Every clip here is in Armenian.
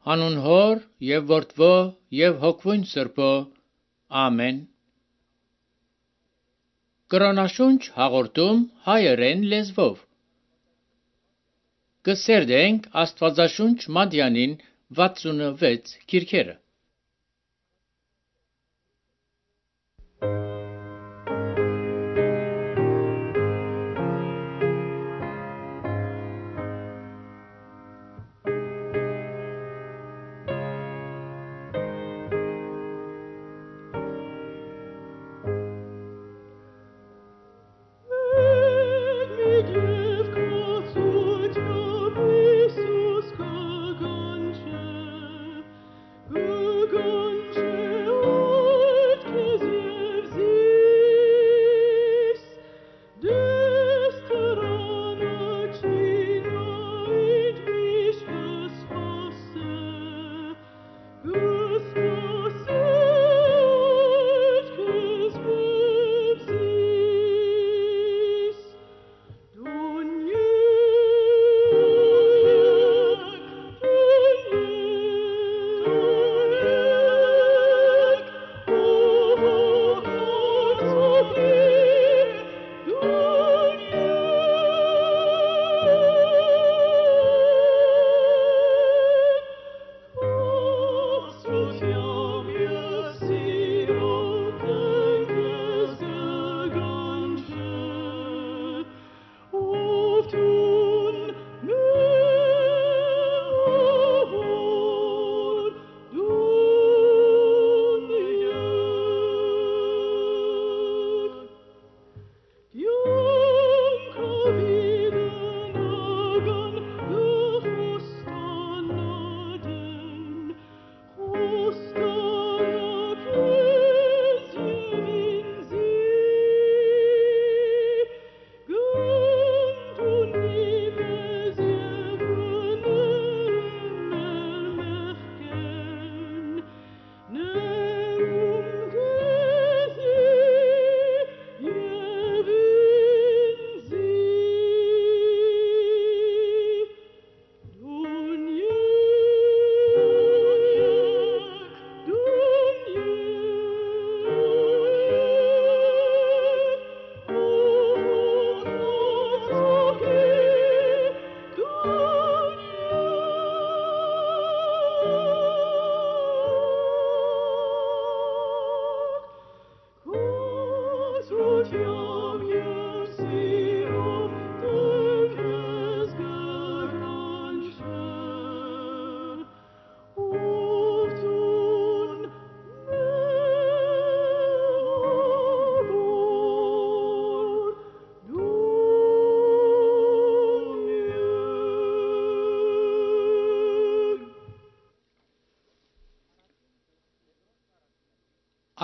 Հանուն Հոր եւ Որդվո եւ Հոգվույն Սրբո, ամեն։ Կրոնաշունչ հաղորդում հայերեն լեզվով։ Կսերդենք Աստվածաշունչ Մատյանին 66 քիրքերը։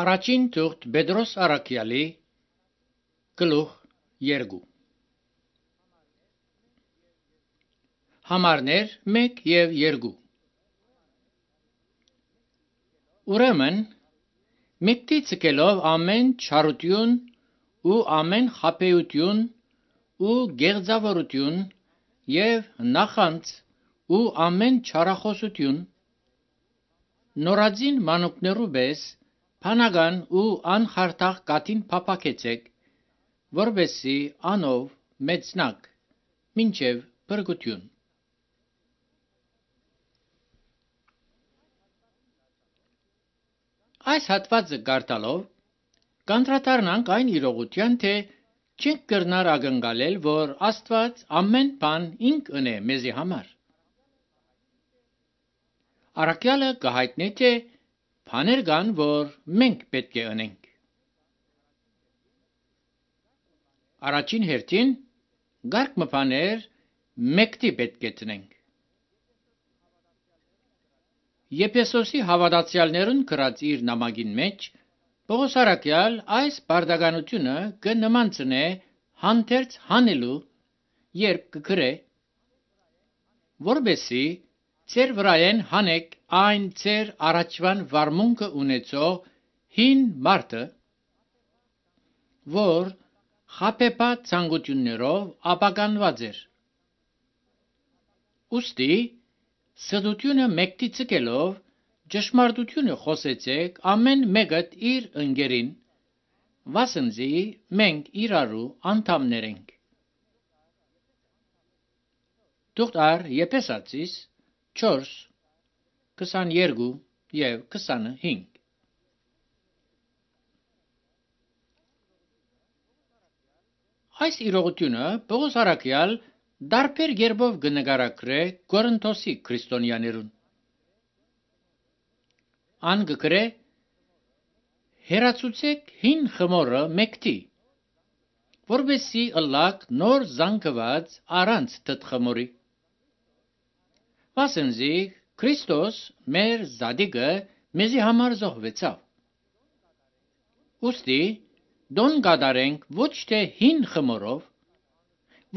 Առաջին թուղթ Պետրոս Առաքյալի գլուխ 2 Համարներ 1 եւ 2 Ուրեմն մեկտի ցկելով ամեն չարություն ու ամեն խաբեություն ու գեղձավորություն եւ նախանց ու ամեն չարախոսություն նորածին մանուկներու պես Փանական ու անխարտախ կատին փափակեցեք, որբեսի անով մեծնակ, մինչև բրգություն։ Այս հատվածը կարդալով կանդրադառնանք այն իրողության, թե չենք կրնար ակնկալել, որ Աստված ամեն բան ինք ընե մեզի համար։ Առաքյալը կհայտնի, թե բաներ կան, որ մենք պետք է ընենք։ Առաջին հերթին գարկ մբաներ մեկտի պետք է տնենք։ Եփեսոսի հավատացյալներուն գրած իր նամակին մեջ Պողոս առաքյալ այս բարդականությունը կնմանցնե հանդերձ հանելու, երբ կգրե, որբեսի Ձեր վրայեն հանեք այն ձեր առաջվան վարմունքը ունեցող հին մարդը, որ խաբեբաց ցանկություններով ապականված էր։ Ուստի սդությունը մեկտի ցկելով ճշմարտությունը խոսեցեք ամեն մեկդ իր ընկերին, վասնզի մենք իրարու անդամներ ենք։ Թուղթ Եփեսացիս 4, 22 և 25 Այս իրողությունը Պողոս առաքյալ դարբեր երբով կնկարագրե Կորինթոսի քրիստոնյաներուն։ Ան կգրե հերացուցեք հին խմորը մեկտի, որովհետեւ ըլլակ նոր զանգված առանց թթխմորի։ Վասնզի Քրիստոս մեր զադիգը մեզի համար զոհվեցավ։ Ուստի դոն կատարենք ոչ թե հին խմորով,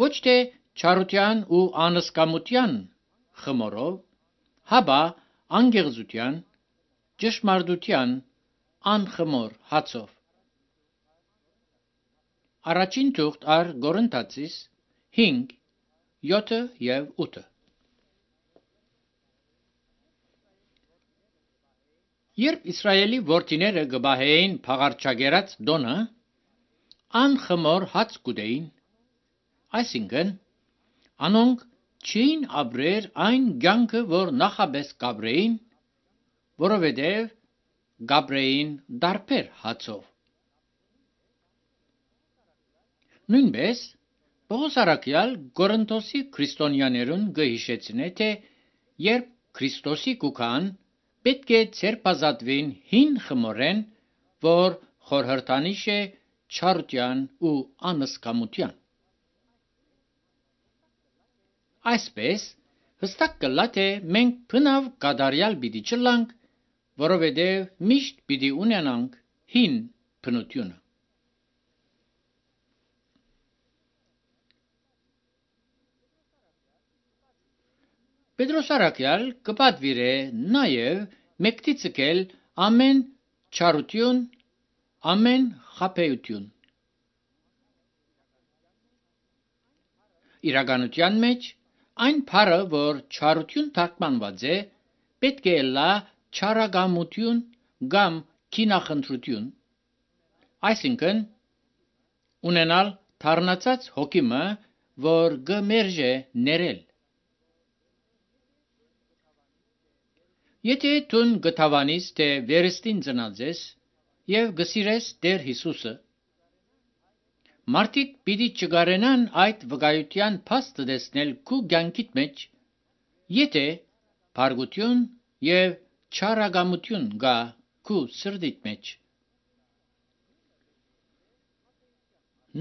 ոչ թե չարության ու անսկամության խմորով, հաբա անգեղծության, ճշմարտության անխմոր հացով։ Առաջին թուղթ Կորինթացիս 5, 7 և 8 Երբ Իսրայելի որդիները գբահեին փաղարչագերած դոնը, անխմոր հաց կուտեին, այսինքն անոնք չէին ապրեր այն կյանքը, որ նախաբես կապրեին, որովհետև կապրեին դարբեր հացով։ Նույնպես Պողոս առաքյալ Կորինթոսի քրիստոնյաներուն կհիշեցնե, թե երբ Քրիստոսի կուքան պետք է ցերպազատվին հին խմորեն, որ խորհրդանիշ է չարության ու անսկամության։ Այսպես հստակ կլա, թե մենք բնավ կատարյալ պիտի չլանք, որովհետև միշտ պիտի ունենանք հին բնությունը։ Պետրոս առաքյալ կպատվիրե նաև մեկտի ցկել ամեն չարություն, ամեն խաբեություն։ Իրականության մեջ այն բառը, որ չարություն թարգմանված է, պետք է լա չարագամություն կամ քինախնդրություն, այսինքն ունենալ թառնացած հոգիմը, որ գմերժե ներել։ Եթե դուն գտավանիս, թե վերստին ծնած ես և գսիրես Տեր Հիսուսը, մարդիկ պիտի չգարենան այդ վկայության փաստը տեսնել քու կյանքիդ մեջ, եթե փարգություն և չարագամություն գա քու սրտիդ մեջ։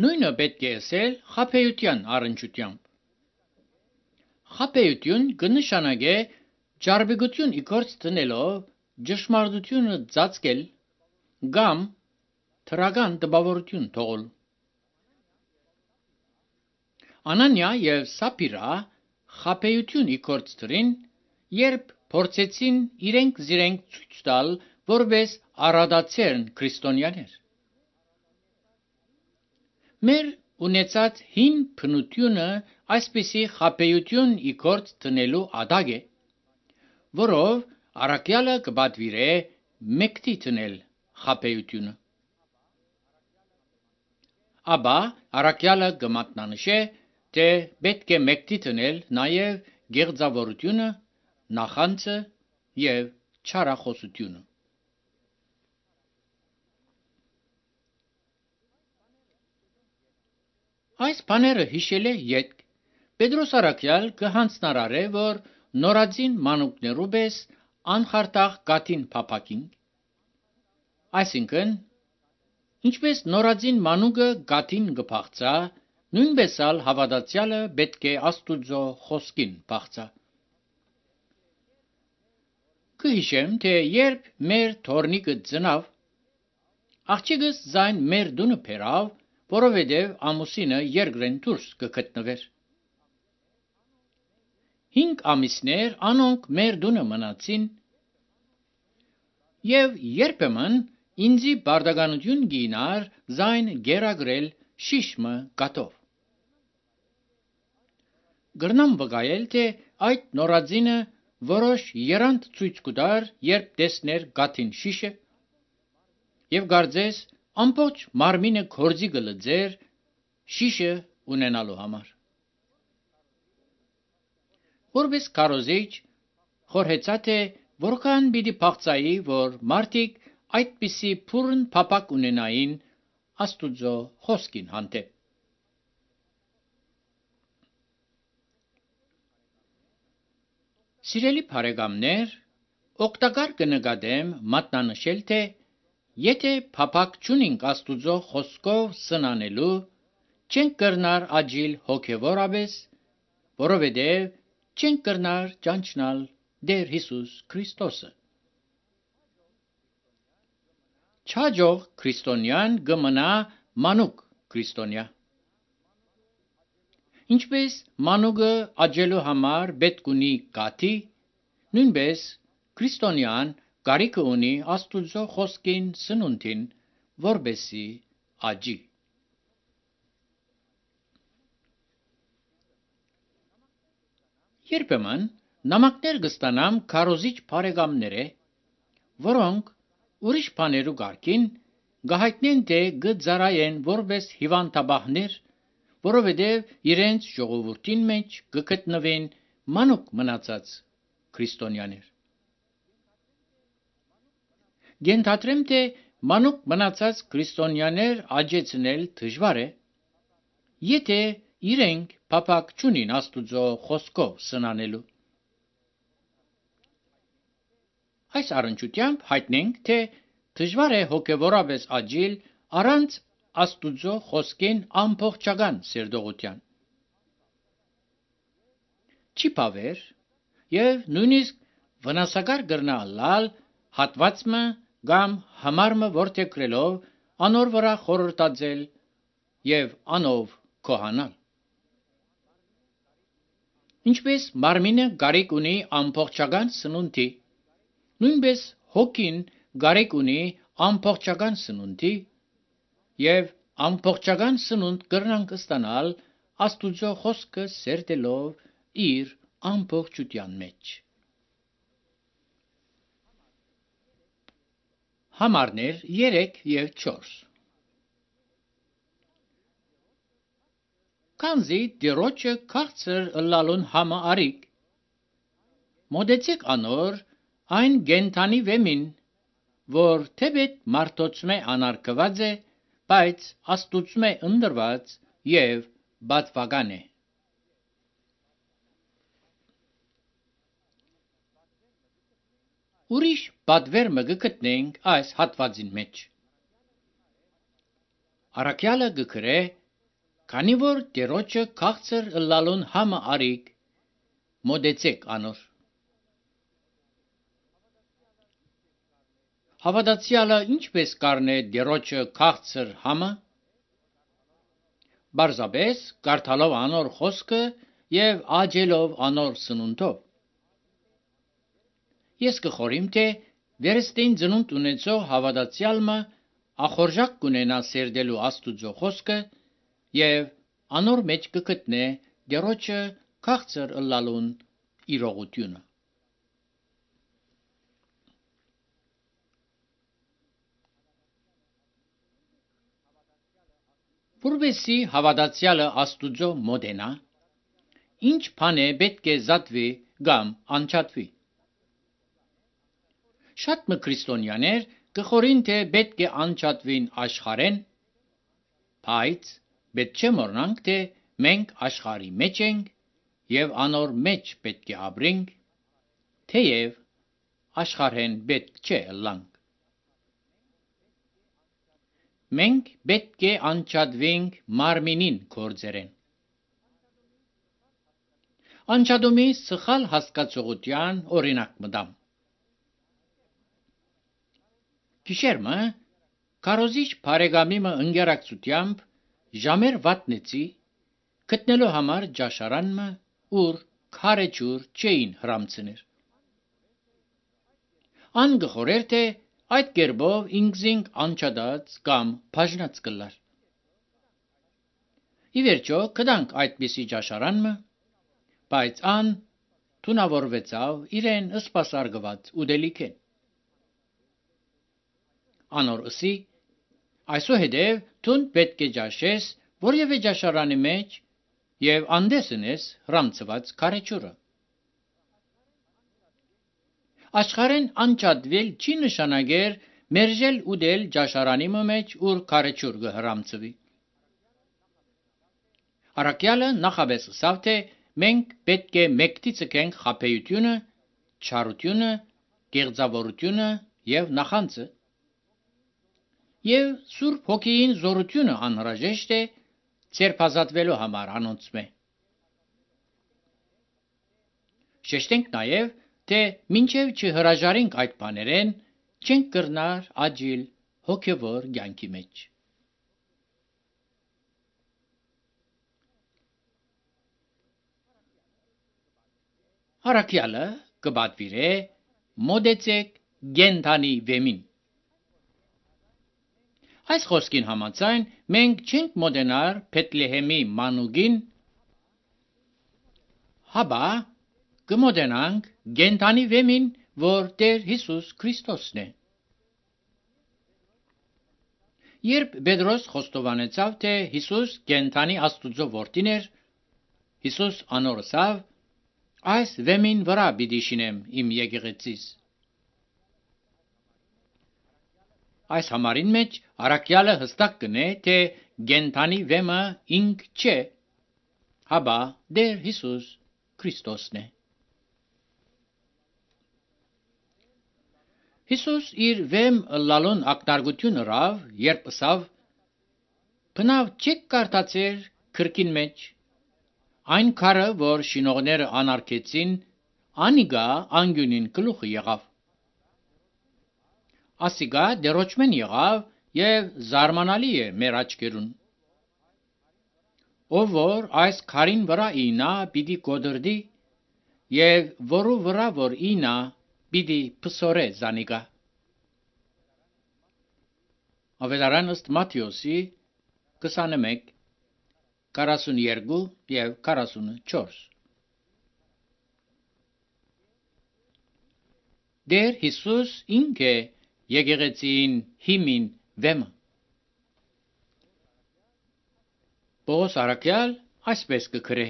Նույնը պետք է ասել խաբեության առնչությամբ։ Խաբեություն կնշանակե ջարբիգություն իգործ տնելով ճշմարտությունը ծածկել կամ թրական տպավորություն թողել։ Անանիա և Սապիրա խաբեություն իգործ դրին, երբ փորձեցին իրենք ցույց տալ, որպես առատացյալ քրիստոնյաներ։ Մեր ունեցած հին բնությունը այսպիսի խաբեություն իգործ տնելու ադագ է, որով առաքյալը կպատվիրե մեկտի տնել խաբեությունը։ Ապա առաքյալը կմատնանշե, թե պետք է մեկտի տնել նաև գեղձավորությունը, նախանձը և չարախոսությունը։ Այս բաները հիշել է ետք Պետրոս առաքյալ կհանձնարարե, որ նորածին մանուկներու պես անխարդախ կաթին փափակին, այսինքն ինչպես նորածին մանուկը կաթին կփախծա, նույնպես ալ հավատացյալը պետք է Աստուծո խոսքին փախծա։ Կհիշեմ, թե երբ մեր թորնիկը ծնավ, աղջիկս ձայն մեր տունը բերավ, որովհետև ամուսինը երկրեն դուրս կգտնվեր։ 5 ամիսներ անոնք մեր տունը մնացին և երբեմն ինձի բարդականություն գինար ձայն գերագրել շիշմը կաթով։ Գրնամ վկայել, թե այդ նորածինը որոշ երանդ ցույց կտար, երբ տեսներ գաթին շիշը, եւ գարձես ամբողջ մարմինը կորձի գլծեր շիշը ունենալու համար։ Որպես քարոզիչ խորհեցա թե որքան պիտի փախծայի, որ մարդիկ այդպիսի փուրն փապակ ունենային Աստուծո խոսքին հանդեպ։ Սիրելի բարեկամներ, օգտակար կնկատեմ մատնանշել, թե եթե փապակ չունենք Աստուծո խոսքով սնանելու, չենք կրնար աջիլ հոգևորապես, որովհետև չենք կրնար ճանչնալ Տեր Հիսուս Քրիստոսը։ Չաջող քրիստոնյան կմնա մանուկ քրիստոնյա։ Ինչպես մանուկը աճելու համար պետք ունի գաթի, նույնպես քրիստոնյան կարիք ունի Աստուծո խոսքին սնունդին, որպեսզի աճի։ Երբեմն նամակներ կստանամ քարոզիչ բարեկամները, որոնք ուրիշ բաներու կարգին գահիտնեն թե գծարայեն որպես հիվանդաբահներ, որովհետև իրենց ժողովրդին մեջ կգտնվեն մանուկ մնացած քրիստոնյաներ։ Գենթադրեմ, թե մանուկ մնացած քրիստոնյաներ աճեցնել դժվար է, եթե իրենք փապակ չունին Աստուծո խոսքով սնանելու։ Այս առնչությամբ հայտնենք, թե դժվար է հոգևորապես աճել առանց Աստուծո խոսքին ամբողջական սերտողության։ Չի բավեր եւ նույնիսկ վնասակար կրնալալ հատվածը կամ համարը որդեգրելով անոր վրա խորհրդածել եւ անով կոհանալ։ Ինչպես մարմինը կարիք ունի ամբողջական սնունդի, նույնպես հոգին կարիք ունի ամբողջական սնունդի եւ ամբողջական սնունդ կրնանք ստանալ Աստուծո խոսքը սերտելով իր ամբողջության մեջ։ Համարներ 3 եւ 4 Քանզի դիրոջը քաղցր ըլլալուն համը արիք, մոդեցեք անոր այն գենթանի վեմին, որ թեպետ մարդոցմե անարգված է, բայց Աստուծմե ընդրված եւ բատվական է։ Ուրիշ բադվերմը գտնենք այս հատվածին մեջ։ Առաքյալը գկրե, քանի որ դերոջը քաղցր ըլլալուն համը արիք, մոդեցեք անոր։ Հավատացյալը ինչպես կառնե դերոջը քաղցր համը։ Բարձաբես կարդալով անոր խոսքը եւ աջելով անոր սնունդով։ Ես կխորիմ, թե վերստին ծնունդ ունեցող հավատացյալը ախորժակ կունենա սերդելու Աստուծո խոսքը եւ անոր մեջ կգտնե դերոջը քաղցր ըլլալուն իրողությունը։ Որպեսզի հավատացյալը Աստուծո մոտենա, ինչ բան է պետք է զատվի կամ անջատվի։ Շատ քրիստոնյաներ կխորին, թե պետք է անջատվին աշխարհեն, բայց պետք չէ մոռանանք, թե մենք աշխարհի մեջ ենք եւ անոր մեջ պետք է ապրենք, թեև աշխարհեն պետք չէ ըլլանք։ Մենք պետք է անջատվենք մարմինին գործերեն։ Անջատումի սխալ հասկացողության օրինակ մտամ։ Գիշերմը քարոզիչ բարեկամիմը ընկերակցությամբ ժամեր վատնեցի գտնելու համար ճաշարանմը, ուր քարեջուր չէին հրամցներ։ Ան գխորեր, թե այդ կերպով ինքզինք անջատած կամ բաժնած կլար։ Ի վերջո գտանք այդպիսի ճաշարանմը, բայց ան թունավորվեցավ իրեն սպասարկված ուդելիքեն։ Անոր ըսի, այսուհետև թուն պետք է ճաշես որևէ ճաշարանի մեջ և անդեսնես հրամցված քարեջուրը։ Աշխարհեն անջատվել չի նշանակեր մերժել ուդել ճաշարանի մեջ, ուր քարեջուր կհրամցվի։ Առաքյալը նախաբես ասավ, թե մենք պետք է մեկտի ցկենք խաբեությունը, չարությունը, գեղձավորությունը և նախանձը, և Սուրբ Հոգին զորությունը անհրաժեշտ է ցերպազատվելու համար անոնցմե։ Շեշտենք նաև, թե մինչև չհրաժարենք այդ բաներեն, չենք կրնար աճիլ հոգևոր կյանքի մեջ։ Առաքյալը կպատվիրե մոտեցեք գենթանի վեմին։ Այս խոսքին համաձայն մենք չենք մոտենար Փեթլեհեմի մանուկին, հապա կմոտենանք գենթանի վեմին, որ Տեր Հիսուս Քրիստոսն է։ Երբ Պետրոս խոստովանեցավ, թե Հիսուս կենդանի Աստուծո որդին էր, Հիսուս անոր ասավ. այս վեմին վրա պիտի շինեմ իմ եկեղեցիս։ Այս համարին մեջ առաքյալը հստակ կնե, թե կենդանի վեմը ինք չէ, հապա Տեր Հիսուս Քրիստոսն է։ Հիսուս իր վեմ լալուն ակնարկություն ըրավ, երբ ասավ. «Բնավ չեք կարդացեր գրքին մեջ, այն քարը, որ շինողները անարգեցին, անիգա անկյունին գլուխը եղավ։ Ասիկա դերոճմեն եղավ և զարմանալի է մեր աչքերուն։ Ով որ այս քարին վրա ինա, պիտի կոտրդի, և որու վրա որ ինա, պիտի փսորե զանիկա»։ Ավետարան ըստ Մատթեոսի 21, 42 և 44։ Տեր Հիսուս ինք է եկեղեցին հիմին վեմը։ Պողոս առաքյալ այսպես կգրե.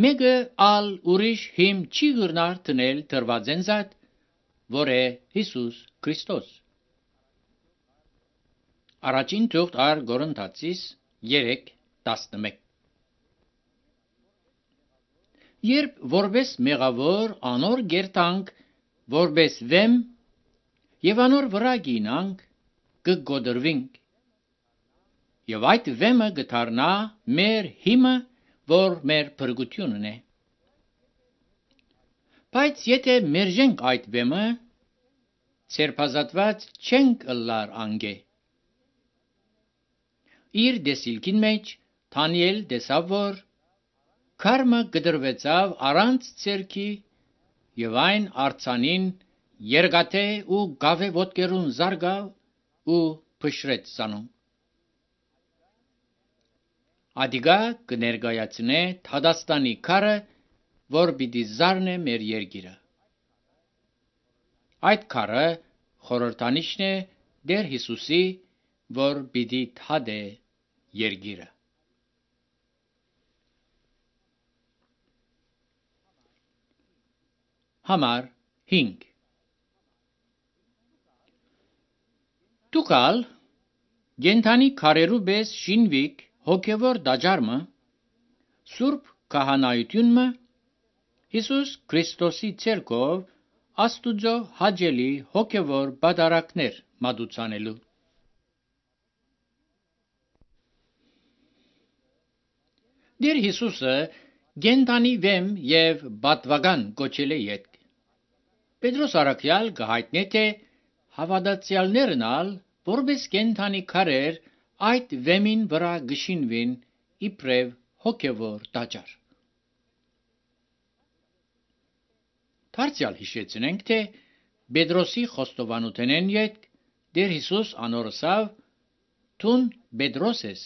«Մեկը ալ ուրիշ հիմ չի գրնար տնել դրվածեն զատ, որ է Հիսուս Քրիստոս»։ Առաջին թուղթ առ Կորինթացիս 3:11։ Երբ որպես մեղավոր անոր գերտանք, որպես վեմ, և անոր վրա գինանք, կգոտրվինք, և այդ վեմը գդառնա մեր հիմը, որ մեր փրկությունն է։ Բայց եթե մերժենք այդ վեմը, ցերպազատված չենք ըլլար անգե։ Իր դեսիլքին մեջ Դանիել տեսավ, որ քարմը գդրվեցավ առանց ցերքի, և այն արձանին երկաթե ու գավե ոտքերուն զարգավ ու փշրեց սանում։ Ադիգա կներկայացնե Թադաստանի քարը, որ պիտի զարնե մեր երկիրը։ Այդ քարը խորհրդանիշն է Տեր Հիսուսի, որ պիտի թադե երկիրը։ Համար 5 Դուքալ գենթանի քարերու պես շինվիկ հոգևոր դաջարմը, Սուրբ քահանայությունը, Հիսուս Քրիստոսի ցերկով Աստուծո հաճելի հոգևոր պատարակներ մատուցանելու։ Տեր Հիսուսը գենթանի վեմ և պատվական կոչել է ետք։ Պետրոս առաքյալ կհայտնե, թե հավատացյալներն ալ որպես կենդանի քարեր այդ վեմին վրա կշինվին իբրև հոգևոր տաճար։ Դարձյալ հիշեցնենք, թե Պետրոսի խոստովանութենեն ետք Տեր Հիսուս անոր ասավ. «Դուն Պետրոս ես,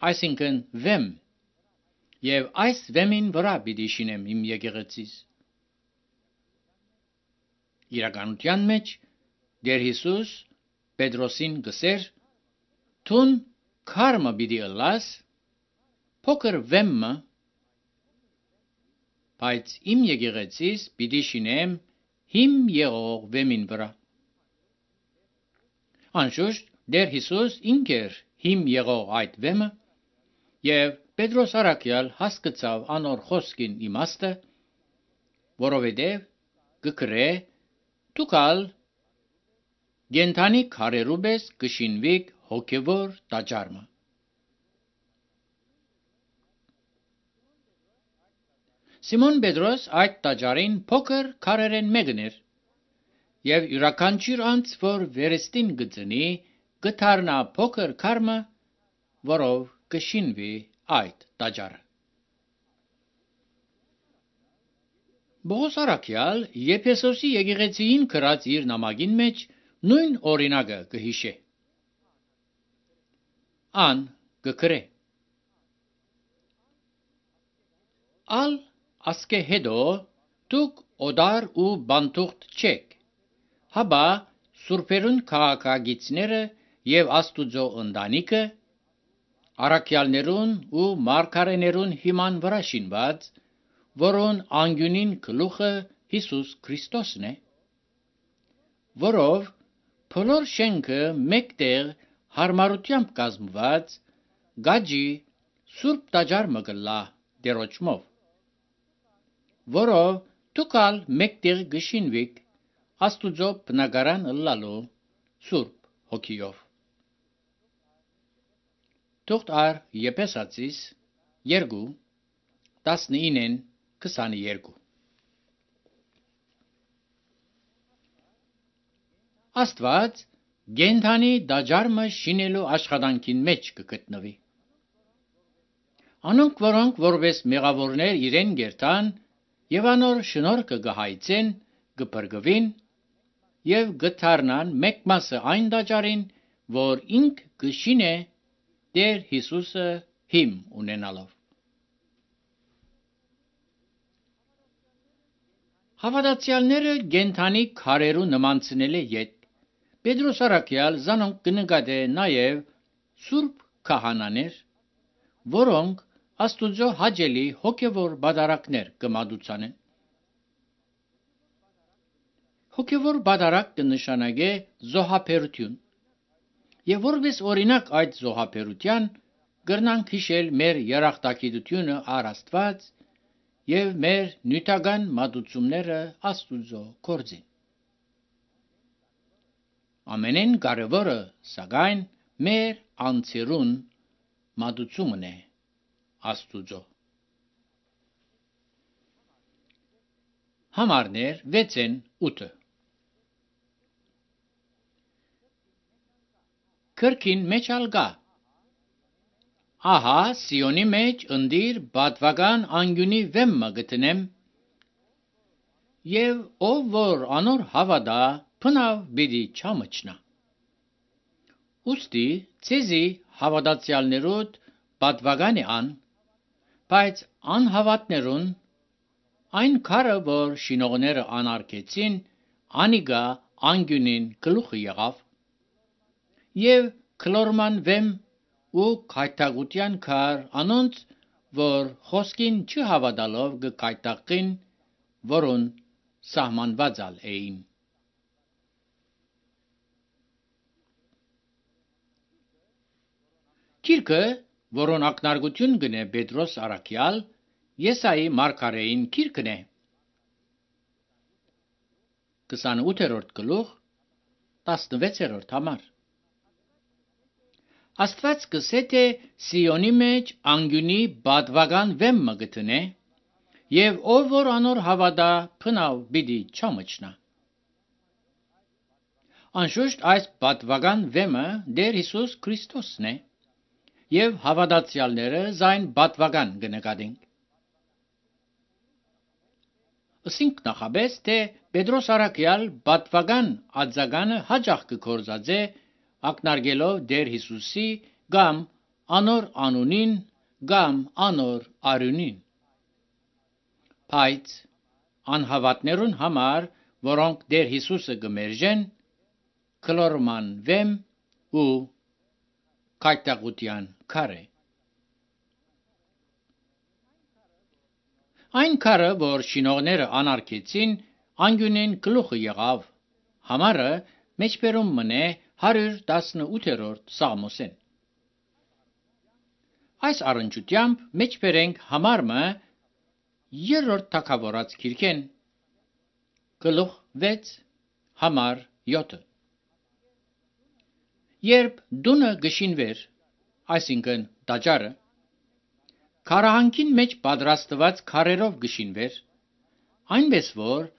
այսինքն վեմ, եւ այս վեմին վրա պիտի շինեմ իմ եկեղեցիս։ Իրականության մեջ Տեր Հիսուս Պետրոսին գսեր. «Թուն քարմը պիտի ըլլաս, փոքր վեմը, բայց իմ եկեղեցիս պիտի շինեմ հիմ եղող վեմին վրա»։ Անշուշտ Տեր Հիսուս ինքեր հիմ եղող այդ վեմը, եւ Պետրոս առաքյալ հասկացավ անոր խոսքին իմաստը, որովհետև գկրե «Դուքալ գենթանի քարերու պես կշինվիք հոգևոր տաճարը»։ Սիմոն Պետրոս այդ տաճարին փոքր քարերեն մեկն էր, եւ յուրաքանչյուր անձ, որ վերստին գծնի, գթարնա փոքր քարմը, որով կշինվի այդ տաճարը։ Պողոս առաքյալ Եփեսոսի եկեղեցիին գրած իր նամակին մեջ նույն օրինակը կհիշե։ Ան կգրե. «Ալ ասկե հետո դուք օդար ու բանտուղտ չեք, հաբա սուրբերուն քաղաքագիցները եւ Աստուծո ընտանիքը, առաքյալներուն ու մարգարեներուն հիման վրա շինված, որոն անկյունին գլուխը Հիսուս Քրիստոսն է, որով բոլոր շենքը մեկտեղ հարմարությամբ կազմված գաջի սուրբ տաճար մը կլա Տերոջմով, որով դուքալ մեկտեղ գշինվիք Աստուծո բնակարան ըլլալու Սուրբ Հոգիով»։ Թուղթ առ Եփեսացիս 2:19-22 Աստված գենթանի տաճարը շինելու աշխատանքին մեջ կգտնվի։ Անոնք, որոնք որպես մեղավորներ իրեն գերտան եւ անոր շնորհքը կհայցեն, կփրկվին եւ գթարնան մեկ մասը այն տաճարին, որ ինք կշինե Տեր Հիսուսը հիմ ունենալով։ Հավատացյալները գենթանի քարերու նմանցնել է յետ Պետրոս առաքյալ զանոնք կնկատե նաև սուրբ քահանաներ, որոնք Աստուծո հաճելի հոգևոր բադարակներ կմատուցանեն։ Հոգևոր բադարակ կնշանակե զոհաբերություն, եւ որպես օրինակ այդ զոհաբերության կրնանք հիշել մեր երախտագիտությունը առ Աստված եւ մեր նյութական մատուցումները Աստուծո գործին։ Ամենեն կարևորը, սակայն, մեր անձերուն մատուցումն է Աստուծո։ Համարներ 6-8 Քրքին մեջ ալգա Ահա Սիոնի մեջ ընդիր բադվական անկյունի վեմը գտնեմ, եւ ով որ անոր հավատա փնավ բիդի չամչնա։ Ուստի ցեզի հավատացյալներոդ բադվական է ան, բայց անհավատներուն այն քարը, որ շինողները անարգեցին, անիգա անկյունին գլուխը եղավ, եւ քլորման վեմ ու քայթագության քար անոնց, որ խոսքին չհավատալով կքայթակին, որոն սահմանված էին։ Գիրքը, որոն ակնարկություն գնե Պետրոս առաքյալ, Եսայի մարգարեին գիրքն է։ 28-րդ գլուխ 16-րդ համար։ Աստված կսե թե Սիոնի մեջ անկյունի բադվական վեմը գտնե, եւ ով որ անոր հավատա փնավ բիդի չամչնա։ Անշուշտ այս բադվական վեմը Տեր Հիսուս Քրիստոսն է, եւ հավատացյալները զայն բադվական կնկատենք։ Ասինք նախաբես, թե Պետրոս առաքյալ բադվական արձագանը հաճախ կգործածե ակնարկելով Տեր Հիսուսի կամ անոր անունին կամ անոր արյունին։ Բայց անհավատներուն համար, որոնք Տեր Հիսուսը գմերժեն, կլորման վեմ ու կայտաղության քարե։ Այն քարը, որ շինողները անարգեցին, անգյունին գլուխը եղավ, համարը մեջբերում մնե 118-րդ Սաղմոսեն։ Այս առնչությամբ մեջբերենք համարը 3-րդ թագավորաց գիրքեն, գլուխ 6, համար 7։ Երբ դունը գշինվեր, այսինքն տաճարը, քարահանքին մեջ պատրաստված քարերով գշինվեր, այնպես որ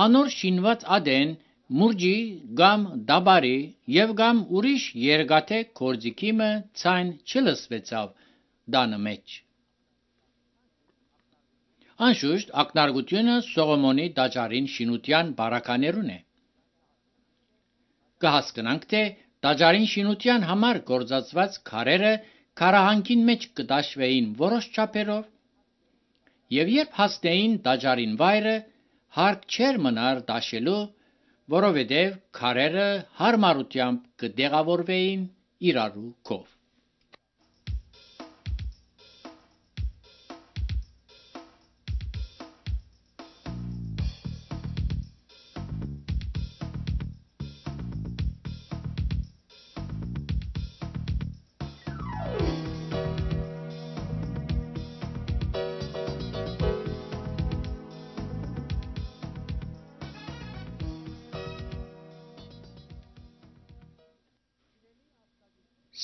անոր շինված ադեն մուրջի կամ դաբարի եւ կամ ուրիշ երկաթե գործիքիմը ցայն չլսվեցավ դանը մեջ։ Անշուշտ ակնարկությունը Սողոմոնի տաճարին շինության բարականերուն է։ Կհասկանանք, թե տաճարին շինության համար գործածված քարերը քարահանքին մեջ կտաշվեին որոշ չափերով, եւ երբ հասնեին տաճարին վայրը, հարկ չէր մնար տաշելու, որովհետև քարերը հարմարությամբ կտեղավորվեին իրարու կով։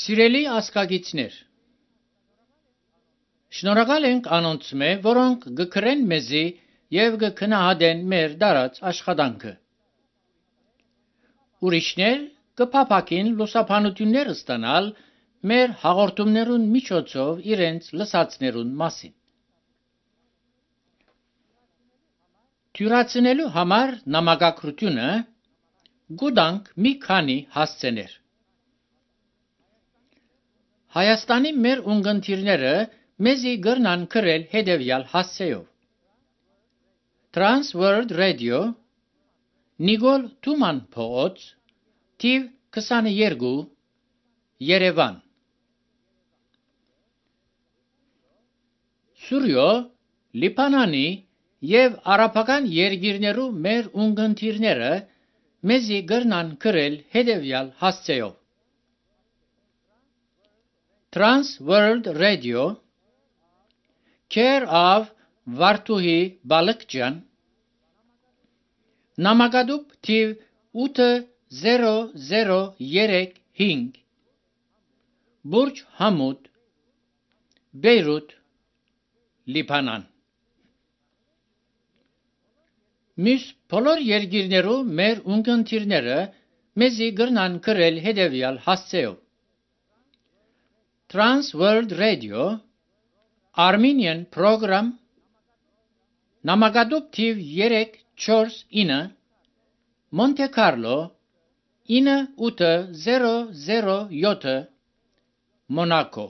Սիրելի ասկագիցներ, շնորհակալ ենք անոնց մե, որոնք գկրեն մեզի եւ գքնահատեն մեր դարած աշխատանքը։ Ուրիշներ կփափակին լուսաբանություններ ստանալ մեր հաղորդումներուն միջոցով իրենց լսածներուն մասին։ Թյուրացնելու համար նամակագրությունը գուտանք մի քանի հասցեներ։ Հայաստանի մեր ունգընտիրները մեզի գրնան գրել հետևյալ հասցեով. Trans World Radio, Նիկոլ Թուման փողոց, թիվ 22, Երևան։ Սուրյո, Լիբանանի եւ արաբական երկիրներու մեր ունգընտիրները մեզի գրնան գրել հետևյալ հասցեով. Trans World Radio, Care of Վարդուհի Բալկջյան, նամակադուպ թիվ 800335, Բուրջ Համուդ, Բեյրութ, Լիբանան։ Մյուս բոլոր երկիրներու մեր ունգընտիրները մեզի գրնան գրել հետևյալ հասցեով. Trans World Radio, Armenian Program, նամակադուպ թիվ 349, Monte Carlo, 98007, Մոնակո։